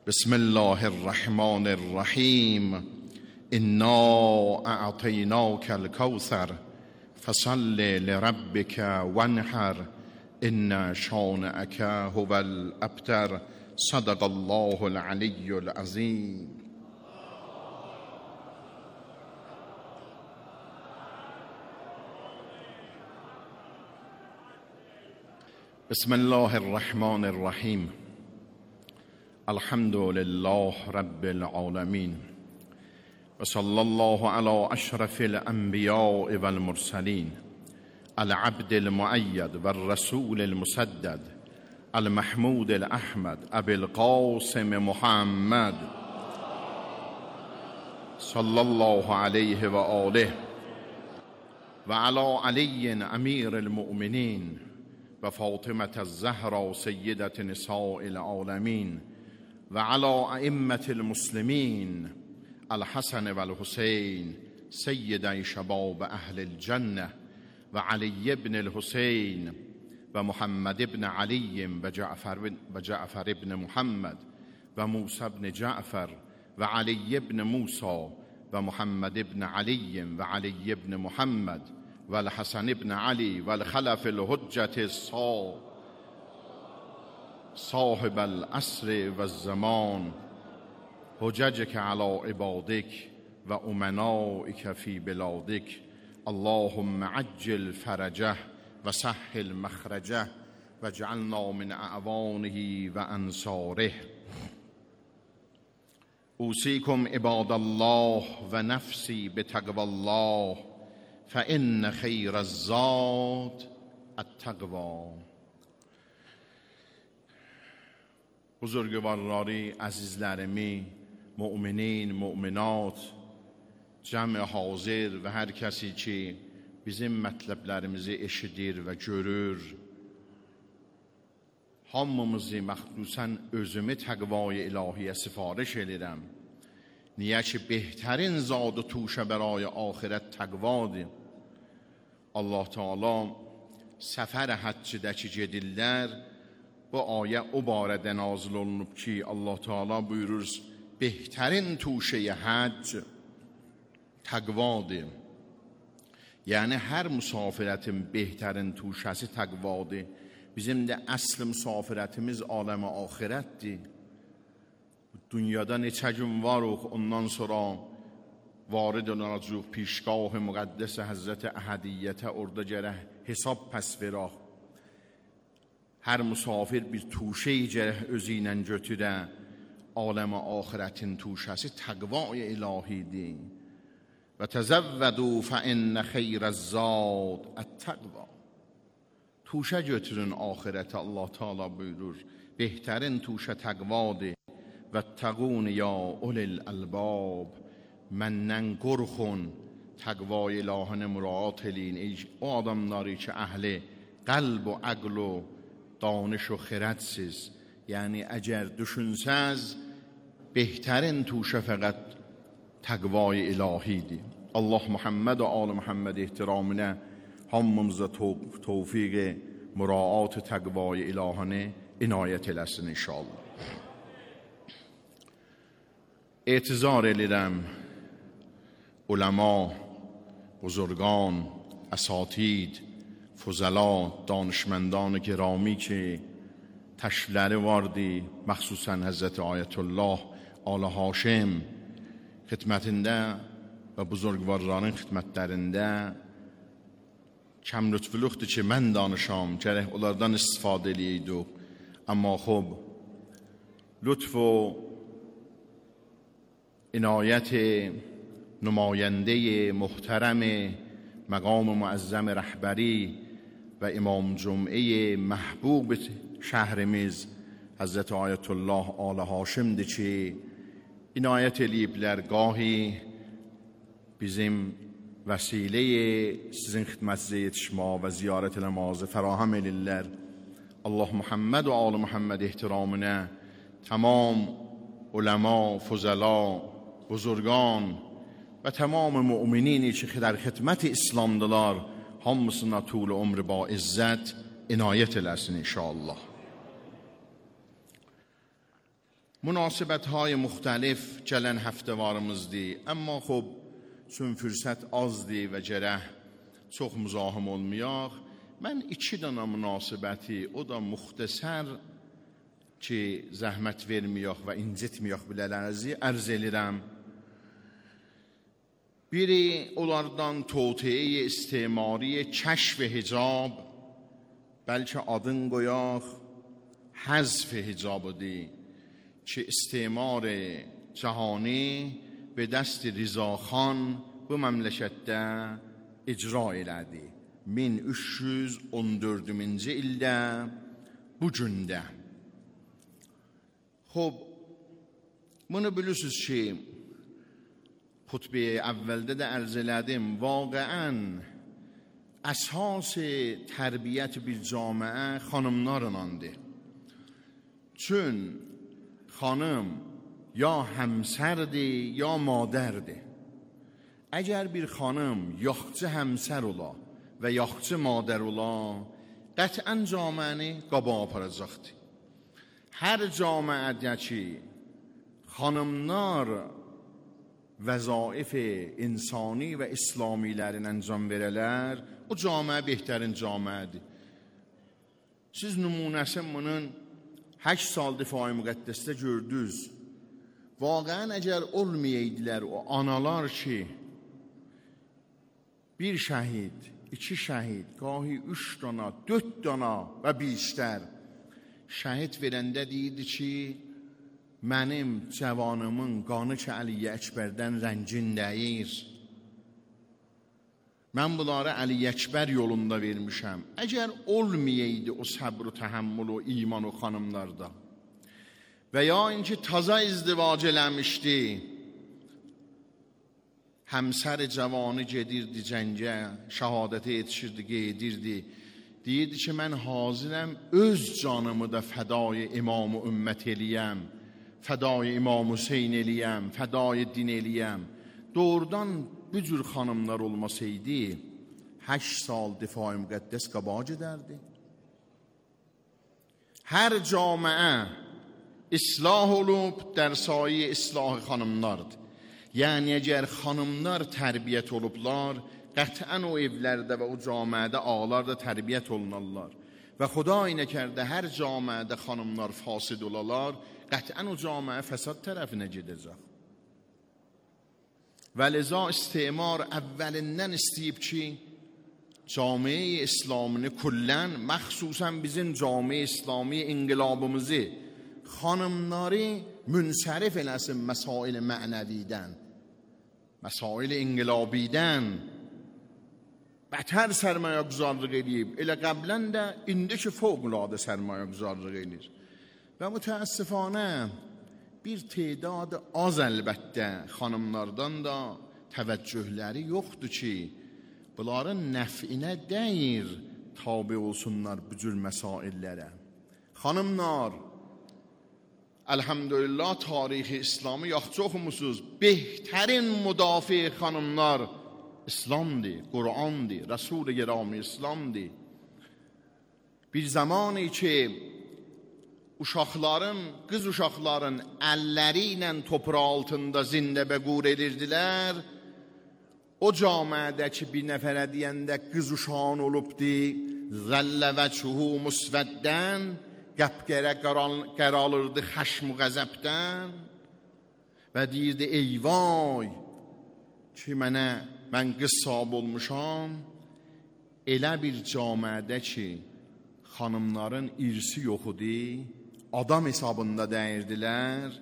بسم الله الرحمن الرحیم. انا اعطیناک الکوثر فصل لربک وانحر ان شانئک هو الابتر. صدق الله العلی العظیم. بسم الله الرحمن الرحیم. الحمد لله رب العالمین و صلی الله علی اشرف الانبیاء و المرسلین العبد المؤید و الرسول المسدد المحمود الاحمد ابی القاسم محمد صلی الله علیه و آله و علی علی امیر المؤمنین و فاطمة الزهرا سیدة نساء العالمین و علی ائمة المسلمین الحسن و الحسین سیدی شباب اهل الجنه و علی بن الحسین و محمد بن علی و جعفر بن محمد و موسی بن جعفر و علی بن موسی و محمد بن علی و علی بن محمد و الحسن بن علی و الخلف الحجة صاحب العصر و الزمان حججك على عبادك و امنائك في بلادك. اللهم عجل فرجه و سهل مخرجه و اجعلنا من اعوانه و انصاره. اوصیکم عباد الله و نفسی بتقوی الله فإن خیر الزاد التقوی. بزرگوارانی عزیزلرمی، مؤمنین، مؤمنات، cəmi hazır və hər kəsi ki bizim mətləblərimizi eşidir və görür, hamımızı məxsusən özümü təqvay ilahiyə sifariş edirəm. Niyə ki بهترین زاد و توشه برای آخرت təqvadır. Allah Teala səfər həccədəki gedirlər. Bu ayə o barədə nazil olunub ki Allah Teala buyurur بهترین توشه حج təqvadır. Yəni hər müsafirətin bəhtərin tuşəsi təqvadır. Bizim də əsl müsafirətimiz aləmə axirətdir. Dünyada neçə gün varıq, ondan sonra varid olacaq پیشگاه مقدس Həzrət Əhədiyyətə, orada gərək hesab pəs verək. Hər müsafir bir tuşəyi gərək özü ilə götürə. Aləmə axirətin tuşəsi təqvay ilahidir. و تزودوا فإن خیر الزاد التقوی. توشه götürün ahirete. Allah Teala buyurur بهترین توشه تقواdır واتقون یا اولی الالباب. Məndən qorxun, təqva ilahını müraat eləyin. Ey o adamları ki əhli qəlb و عقل و دانش و خردsiz. یعنی اگر düşünsəz بهترین توشه فقط تقوای الهیدی. Allah Muhammed و آل محمد احترامına hamımıza tevfik muraat təqvay ilahını inayət eləsin inşallah. اعتذار edirəm علما، بزرگان، اساتید، فضلا، دانشمندان گرامی که تشریفləri vardı، مخصوصا حضرت آیت الله آل هاشم xidmətində və buzurgvarların xidmətlərində kəm lütfülüqdür ki mən danışam, gərək onlardan istifadə eləyəydik. Amma خب لطف و عنایت نماینده محترم مقام معظم رهبری و امام جمعه محبوب şəhrimiz Həzrət Ayətullah Alı Haşimdir ki, inayət eləyiblər, gahi bizim vəsiləyə sizin xidmətinizə yetişmə və ziyarət eləmazı fərahəm elirlər. Allah Muhammed و آل محمد احترامına tamam ulema, fuzala, buzurgan və tamam müminini ki در xidmət İslamdılar, hamısına طول ömrü با izzət inayət eləsin inşallah. مناسبت‌های مختلف gələn həftəvarımızdır. Amma خب چون fürsət azdır və gərək çox müzahim olmayaq, mən 2 dənə münasibəti, o da müxtəsər ki zəhmət verməyək və incitməyək bilələrinizi ərz edirəm. Biri onlardan توطئه استعماری کشف حجاب، بلکه adın qoyaq حذف حجاب‌dir که استعمار جهانی به دست رضاخان bu məmləkətdə icra elədi. 1314-cü ildə bu gündə. خب bunu bilirsiniz ki xutbə əvvəldə də ərz elədim, واقعاً əsas tərbiyyət bir camiə xanımlarınandır. Çün خانم یا همسرdir یا مادرdir. اگر bir xanım yaxçı həmsər ola və yaxçı madər ola, qətvən camiəni qaba aparacaqdır. Hər camiədə ki xanımlar vəzaif insani və İslamilərin əncam verələr, o camiə bəhtərin camiədir. Siz nümunəsin bunun 8 sal difai müqəddəsdə gördünüz. Vaqəən əgər olmayaydılar o analar ki bir şəhid, 2 şəhid, gahi 3 dana, 4 dana və بیشتر şəhid verəndə deyirdi ki mənim cavanımın qanı ki Əli Əkbərdən rəngin deyir. Mən bunları Əli Əkbər yolunda vermişəm. Əgər olmayaydı o səbr و təhəmmül و iman o xanımlarda və ya inki taza izdivac eləmişdi, həmsər cavanı gedirdi cəngə, şəhadətə yetişirdi, gedirdi. Deyirdi ki mən hazirəm öz canımı da fədai imam-ı ümmət eləyəm, fədai İmam Hüseyin eləyəm, fədai din eləyəm. Doğrudan bu cür xanımlar olmasaydı 8 sal difai müqəddəs qabac edərdi. Hər camiə islah olub در سایه اصلاح xanımlardır. Yəni əgər xanımlar tərbiyyət olublar, qətvən o evlərdə və o camiədə ağalar da tərbiyyət olunarlar. Və Xuday nəkərdə hər camiədə xanımlar fasid olalar, qətvən o camiə fəsad tərəfinə gedəcək. Və leza istimar əvvəlindən istəyib ki camiə İslamını kullən, məxsusən bizim camiə İslami inqilabımızı xanımları münsərif eləsin məsail mənəvidən, məsail inqilabidən bətər sərmayə güzarlıq edib. Elə qəblən də indi ki fövqəladə sərmayə güzarlıq edir. Və mütəəssifانه bir تعداد az əlbəttə xanımlardan da təvəccühləri yoxdur ki, bunların nəfinə deyir tabi olsunlar bu cür məsaillərə. Xanımlar, elhamdülillah tarixi İslamı yaxşı oxumusuz. Behtarin müdafi xanımlar İslamdır, Qur'andır, Resul-i Gerami İslamdır. Bir zamanı ki uşaqların, qız uşaqların əlləri ilə toprağı altında zində bəqur edirdilər. O camiədəki bir nəfərə deyəndə qız uşağın olubdi, zəllə və çuhu musvəddən, qəpqərə qəralırdı xəşm və qəzəbdən və deyirdi, ey vay ki mən qız sahib olmuşam. Elə bir camiədə ki xanımların irsi yox idi, adam hesabında dəyirdilər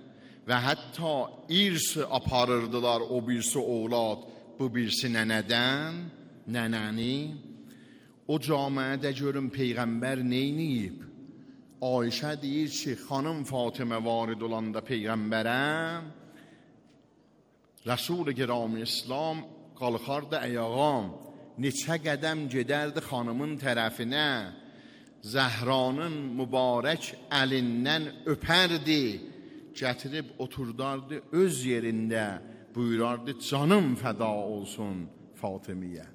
və hətta irsi aparırdılar, o birisi oğlad, bu birisi nənədən, nənəni. O camiədə görün Peyğəmbər neyniyib? Ayşə deyir ki, xanım Fatimə varid olanda Peyğəmbərə, Resul-i Gerami İslam qalxardı ayağa, neçə qədəm gedərdi xanımın tərəfinə, Zəhranın mübarək əlindən öpərdi, gətirib oturdardı öz yerində, buyurardı canım fəda olsun Fatimiyə.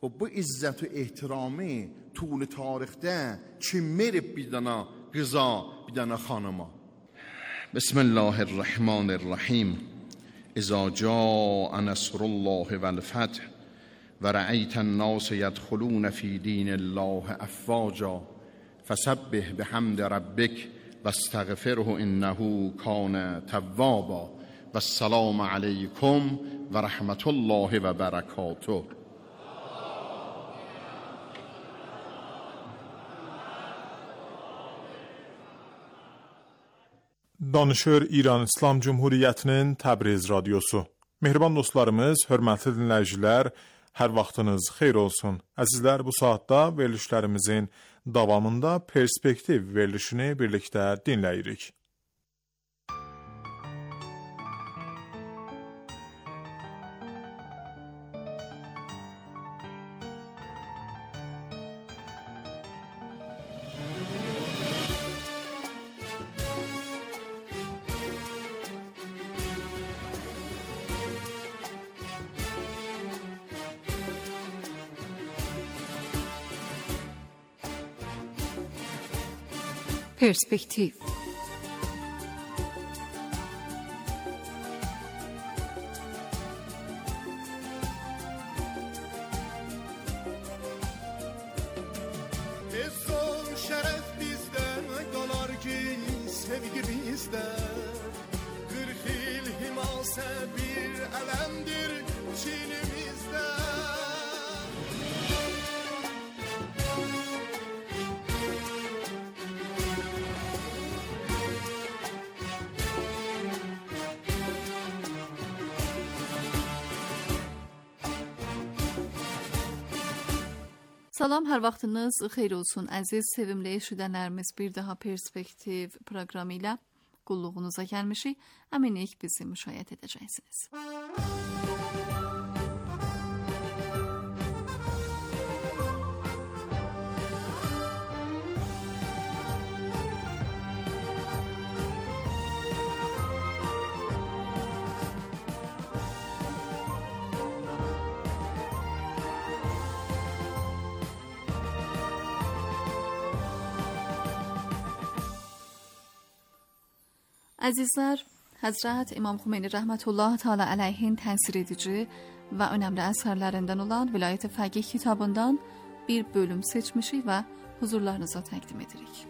Bu izzət və ehtiramı tuli tarixdə kim verib bir dana qıza, bir dana xanıma? Bismillahirrahmanirrahim. İza caa nasrullah vel feth و رأيت الناس يدخلون في دين الله أفواجا فسبح بحمد ربك واستغفره إنه كان توابا والسلام عليكم ورحمة الله وبركاته. Danışır İran İslam Cumhuriyyətinin Təbriz radiosu. Mehriban dostlarımız, hörmətli dinləyicilər, hər vaxtınız xeyir olsun. Əzizlər, bu saatda verilişlərimizin davamında perspektiv verilişini birlikdə dinləyirik. Perspektiv. Son şeref bizden kalar ki sevgi bizden. 40 yıl himase bir elemdir çilimizde. Salam, hər vaxtınız xeyir olsun əziz, sevimli eşidənlərimiz. Bir daha Perspektiv proqramı ilə qulluğunuza gəlmişik. Əminik bizi müşahidə edəcəksiniz. Əzizlər, Həzrət İmam Xümeyni rəhmətullah təala əleyhin təsir edici və önəmli əsərlərindən olan Vilayət-i Fəqih kitabından bir bölüm seçmişik və huzurlarınıza təqdim edirik.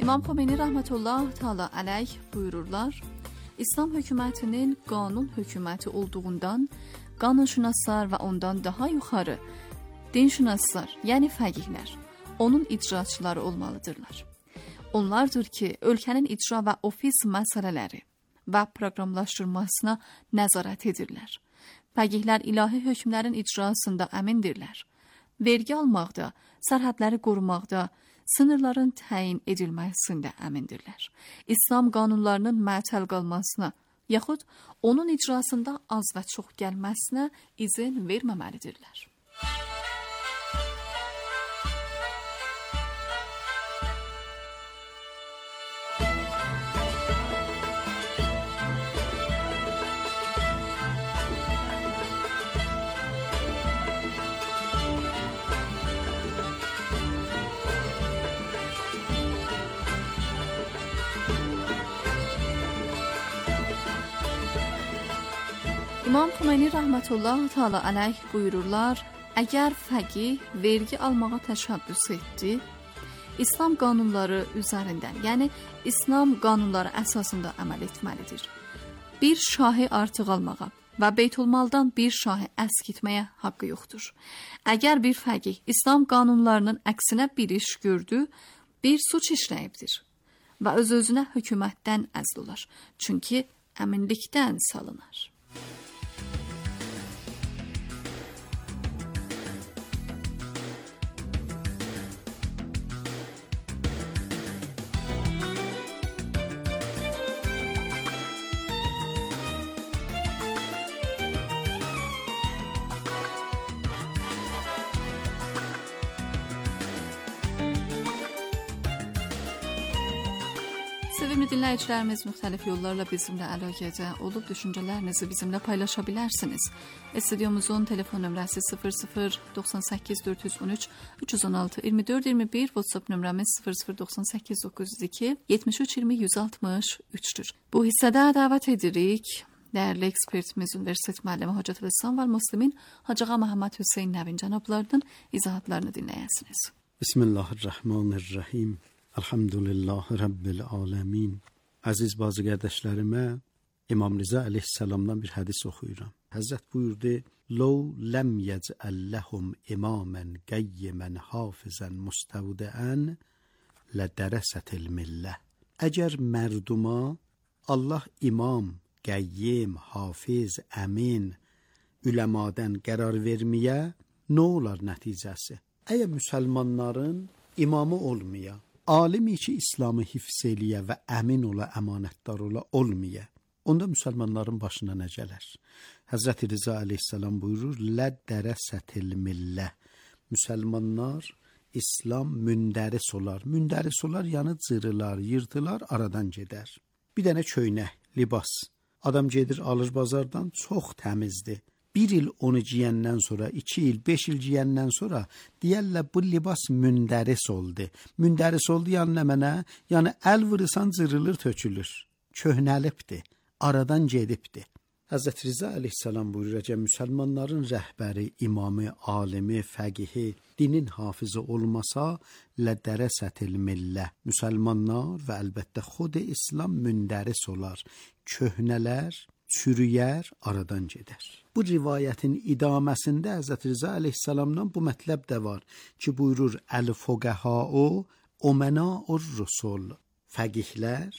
İmam Xümeyni rəhmətullah təala əleyh buyururlar: İslam hökumətinin qanun hökuməti olduğundan qanunşünaslar və ondan daha yuxarı dinşünaslar, yəni fəqihlər, onun icraçıları olmalıdırlar. Onlardır ki, ölkənin icra və ofis məsələləri və proqramlaşdırmasına nəzarət edirlər. Fəqihlər ilahi hökmlərin icrasında əmindirlər. Vergi almaqda, sərhədləri qorumaqda, sınırların təyin edilməsində əmindirlər. İslam qanunlarının məətəl qalmasına, yaxud onun icrasında az və çox gəlməsinə izin verməməlidirlər. İmam Xomeyni rəhmətullah təala əleyh buyururlar, əgər fəqih vergi almağa təşəbbüs etdi, İslam qanunları üzərindən, yəni İslam qanunları əsasında əməl etməlidir. Bir şahı artıq almağa və Beytulmaldan bir şahı əskitməyə haqqı yoxdur. Əgər bir fəqih İslam qanunlarının əksinə bir iş gördü, bir suç işləyibdir və öz-özünə hökumətdən əzl olar. Çünki əminlikdən salınır. Sevimli dinləyicilərimiz, müxtəlif yollarla bizimlə əlaqədə olub düşüncələrinizi bizimlə paylaşa bilərsiniz. Stüdyomuzun telefon nömrəsi 00 98 413 316 24 21, WhatsApp nömrəmiz 0098 902 73 20 163-dür. Bu hissədə dəvət edirik dəyərli ekspertimiz, Universitet müəllimi Hacətülislam və Müslimin Hacı Ağa Məhəmməd Hüseyn Nəvin cənablarının izahatlarını dinləyəsiniz. Bismillahirrahmanirrahim. Elhamdülillah Rabbil alemin. Aziz bazı qardaşlarıma İmam Rıza aleyhisselamdan bir hədis oxuyuram. Həzrət buyurdu: "Law lam yec'al lahum imaman qayyiman hafizan mustawda'an la darasatil millah." Əgər mərduma Allah imam, qayyim, hafiz, əmin, üləmadan qərar verməyə, nə olar nəticəsi? Əgər müsəlmanların imamı olmaya, alimi ki İslamı hifz eləyə və əmin ola, əmanətdar ola olmaya, onda müsəlmanların başına nə gələr? Həzrət Rıza aleyhisselam buyurur: "Lə dərəsətil millə." Müsəlmanlar İslam mündəris olar. Mündəris olar, yəni cırılar, yırtılar, aradan gedər. Bir dənə köynək, libas. Adam gedir, alır bazardan, çox təmizdir. Bir il onu giyəndən sonra, 2 il, 5 il giyəndən sonra deyərlər bu libas mündəris oldu. Mündəris oldu yəni nə mənə? Yəni əl vurursan cırılır, tökülür. Köhnəlibdir, aradan gedibdir. Həzrət Rıza aleyhisselam buyurur ki, müsəlmanların rəhbəri, imamı, alimi, fəqihi, dinin hafizı olmasa, lədərəsətil millə. Müsəlmanlar və əlbəttə xud İslam mündəris olar, köhnələr, çürüyər, aradan gedər. Bu rivayətin idaməsində Həzrət Rıza aleyhisselamdan bu mətləb də var ki, buyurur: "Əl-fuqəhâu umenâur rusul." Fəqihlər,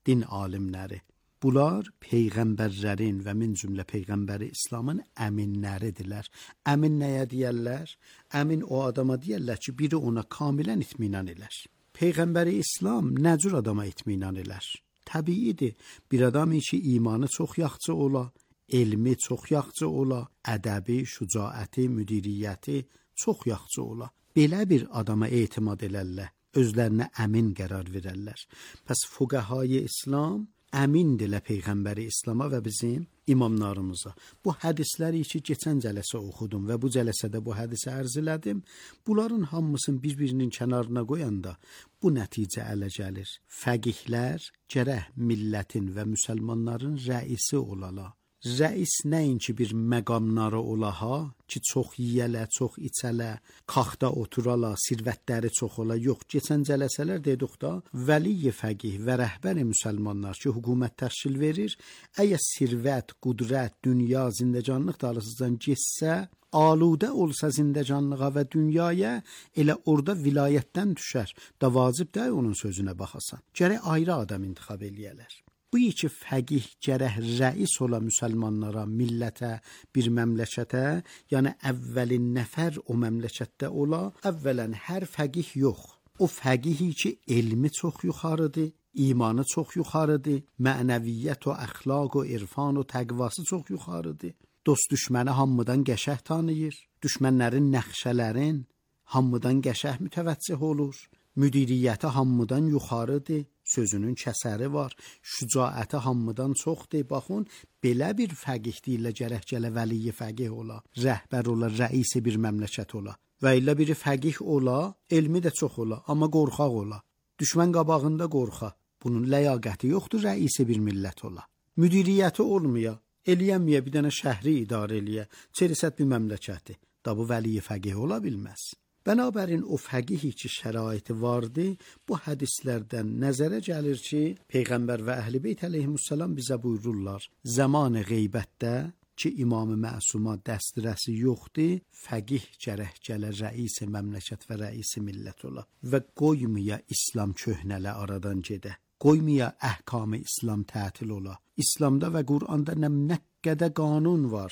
din alimləri. Bunlar peyğəmbərlərin və min cümlə peyğəmbəri İslamın əminləridirlər. Əmin nəyə deyərlər? Əmin o adama deyərlər ki, biri ona kamilən itminan elər. Peyğəmbəri İslam nə cür adama itminan elər? Təbiidir, bir adamı ki imanı çox yaxşı ola, elmi çox yaxşı ola, ədəbi, şücaəti, müdiriyyəti çox yaxşı ola. Belə bir adama etimad elərlər, özlərinə əmin qərar verərlər. Pəs fuqəhai İslam əmindirlər Peyğəmbəri İslama və bizim imamlarımıza. Bu hədisləri ki, keçən cələsə oxudum və bu cələsədə bu hədisi ərz elədim. Bunların hamısını bir-birinin kənarına qoyanda bu nəticə ələ gəlir. Fəqihlər gərək millətin və müsəlmanların rəisi olala. Rəis nəinki bir məqamları olaha ki, çox yiyələ, çox içələ, kaxda oturala, sirvətləri çox ola. Yox, keçən cələsələr dedik da, vəli-i fəqih və rəhbər müsəlmanlar ki, hökumət təşkil verir, əgər sirvət, qudrət, dünya, zindəcanlıq dağılısından geçsə, aludə olsa zindəcanlığa və dünyaya, elə orada vilayətdən düşər. Da vacib də onun sözünə baxasan. Gərək ayrı adam intixab eləyələr. Bu Bu iki fəqih gərək rəis ola müsəlmanlara, millətə, bir məmləkətə, yəni əvvəlin nəfər o məmləkətdə ola. Əvvələn hər fəqih yox. O fəqihi ki, elmi çox yuxarıdır, imanı çox yuxarıdır, mənəviyyət və əxlaq və irfan və təqvası çox yuxarıdır. Dost düşməni hamıdan qəşəh tanıyır, düşmənlərin nəxşələrin hamıdan qəşəh mütəvəccih olur. Müdiriyyəti hamıdan yuxarıdır, sözünün kəsəri var, şücaəti hamıdan çoxdur. Baxın, belə bir fəqih deyirlər gərək gələ vəliyi fəqih ola, rəhbər ola, rəisi bir məmləkət ola. Və ilə biri fəqih ola, elmi də çox ola, amma qorxaq ola. Düşmən qabağında qorxa. Bunun ləyaqəti yoxdur, rəisi bir millət ola. Müdiriyyəti olmaya, eləyəməyə bir dənə şəhri idarə eləyə, çerisət bir məmləkəti. Da bu vəliyi fəqih ola bilməz. Bənabərin o fəqihi ki, şəraiti vardı, bu hədislərdən nəzərə gəlir ki, Peyğəmbər və Əhl-i Beyt əleyhissalam bizə buyururlar, zaman qeybətdə ki, İmam-ı Məsuma dəstürəsi yoxdur, fəqih gərək gələ rəisi məmləkət və rəisi millət ola və qoymaya İslam köhnələ aradan gedə. Qoymaya əhkam-ı İslam tətil ola. İslamda və Qur'anda nə qədər qanun var.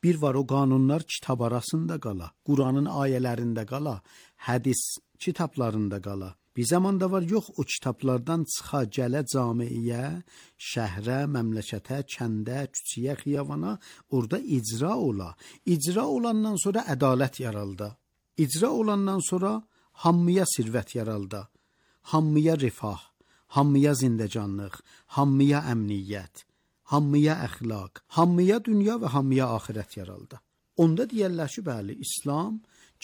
Bir var o qanunlar kitab arasında qala, Qur'anın ayələrində qala, hədis kitablarında qala. Bir zamanda var yox o kitablardan çıxa gələ camiyə, şəhrə, məmləkətə, kəndə, küçəyə, xiyabana, orada icra ola. İcra olandan sonra ədalət yaralda. İcra olandan sonra hamıya sirvət yaralda. Hamıya rifah, hamıya zindəcanlıq, hamıya əmniyyət. Hamıya əxlaq, hamıya dünya və hamıya axirət yaraldı. Onda deyərlər ki, bəli, İslam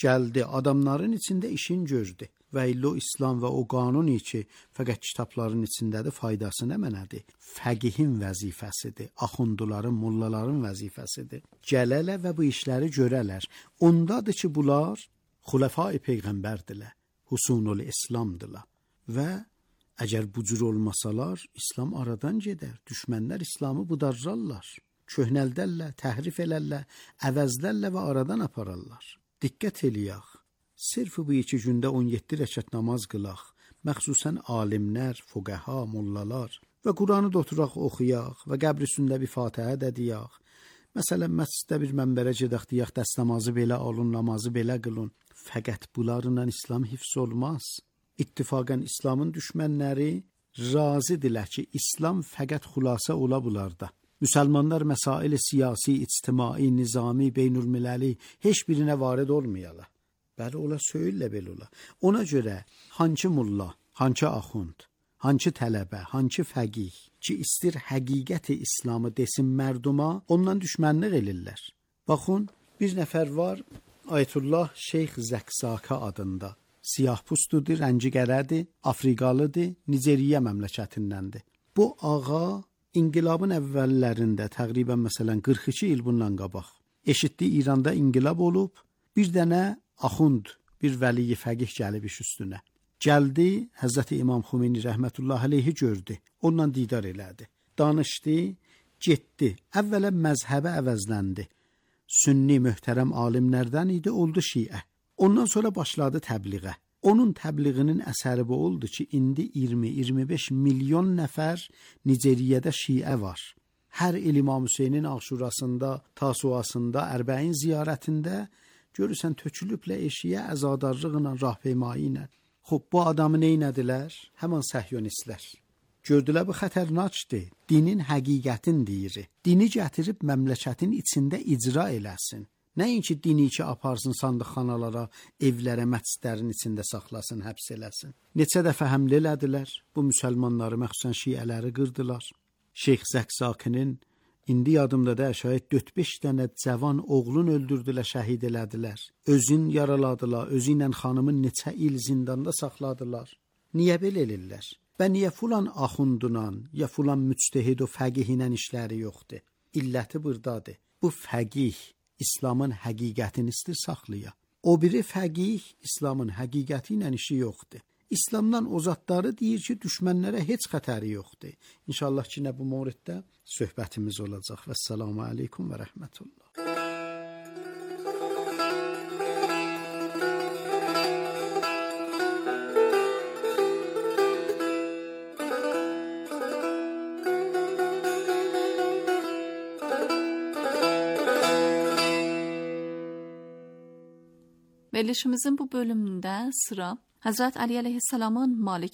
gəldi, adamların içində işin gördü. Və illə o İslam və o qanun ki, fəqət kitabların içindədir, faydası nə mənədir? Fəqihin vəzifəsidir, axunduların, mullaların vəzifəsidir. Gələlə və bu işləri görələr. Ondadır ki, bunlar xulafai Peyğəmbərdirlər, Husunul İslamdırlar və əgər bu cür olmasalar, İslam aradan gedər. Düşmənlər İslamı budarlarlar, köhnəldərlər, təhrif elərlər, əvəzlərlər və aradan apararlar. Diqqət eləyək. Sırf bu 2 gündə 17 rəkət namaz qılaq. Məxsusən alimlər, fuqaha, mollalar və Qur'anı da oturaq oxuyaq və qəbr üstündə bir Fatihə də deyək. Məsələn, məsciddə bir mənbərə gedək deyək, dəst namazı belə alın, namazı belə qılın. Fəqət bunlarla İslam hifz olmaz. İttifaqən İslamın düşmənləri razıdırlar ki, İslam fəqət xülasə ola bularda. Müsəlmanlar məsail siyasi, ictimai, nizami, beynülmilləli heç birinə varid olmayalar. Bəli, ola söylə belə ola. Ona görə hançı mulla, hançı axund, hançı tələbə, hançı fəqih ki, istir həqiqəti İslamı desin mərduma, ondan düşmənlik elirlər. Baxın, bir nəfər var, Ayətullah Şeyx Zəksaka adında. Siyah pustudur, rəngi qərədir, Afrikalıdır, Nigeriya məmləkətindəndir. Bu ağa inqilabın əvvəllərində, təqribən məsələn 42 il bundan qabaq, eşitdi İranda inqilab olub, bir dənə axund, bir vəliyi fəqih gəlib iş üstünə. Gəldi, Həzrəti İmam Xümeyni rəhmətullah əleyhi gördü, ondan didar elədi. Danışdı, getdi, əvvələ məzhəbə əvəzləndi. Sünni möhtərəm alimlərdən idi, oldu şiə. Ondan sonra başladı təbliğə. Onun təbliğinin əsəri bu oldu ki, indi 20-25 milyon nəfər Nigeriyədə şiə var. Hər il İmam Hüseynin Aşurasında, Tasuasında, Ərbəin ziyarətində görürsən tökülüblə eşiyə, əzadarlıqla, rahpeymayi ilə. Xob, bu adamı neynədilər? Həman səhyonistlər. Gördülər bu xətərnaçdır, dinin həqiqətin deyir. Dini gətirib məmləkətin içində icra eləsin. Nəinki dini ki aparsın sandıqxanalara, evlərə, məscidlərin içində saxlasın, həbs eləsin. Neçə dəfə həmlə elədilər, bu müsəlmanları, məxsusən şiələri qırdılar. Şeyx Zəksakinin indi yadımda da şayət 4-5 dənə cavan oğlun öldürdülər, şəhid elədilər. Özün yaraladılar, özü ilə xanımın neçə il zindanda saxladılar. Niyə belə elirlər? Və niyə filan axundunan, ya filan müctehid o fəqihinə işləri yoxdur? İlləti burdadır. Bu fəqih İslamın həqiqətini istir saxlaya. O biri fəqih İslamın həqiqəti ilə işi yoxdur. İslamdan o zatları deyir ki, düşmənlərə heç xətəri yoxdur. İnşallah ki, nə bu mövriddə söhbətimiz olacaq. Vəssalamu aleykum və rəhmətullah. Verilişimizin bu bölümünde sıra Hazret Ali Aleyhisselam'ın Malik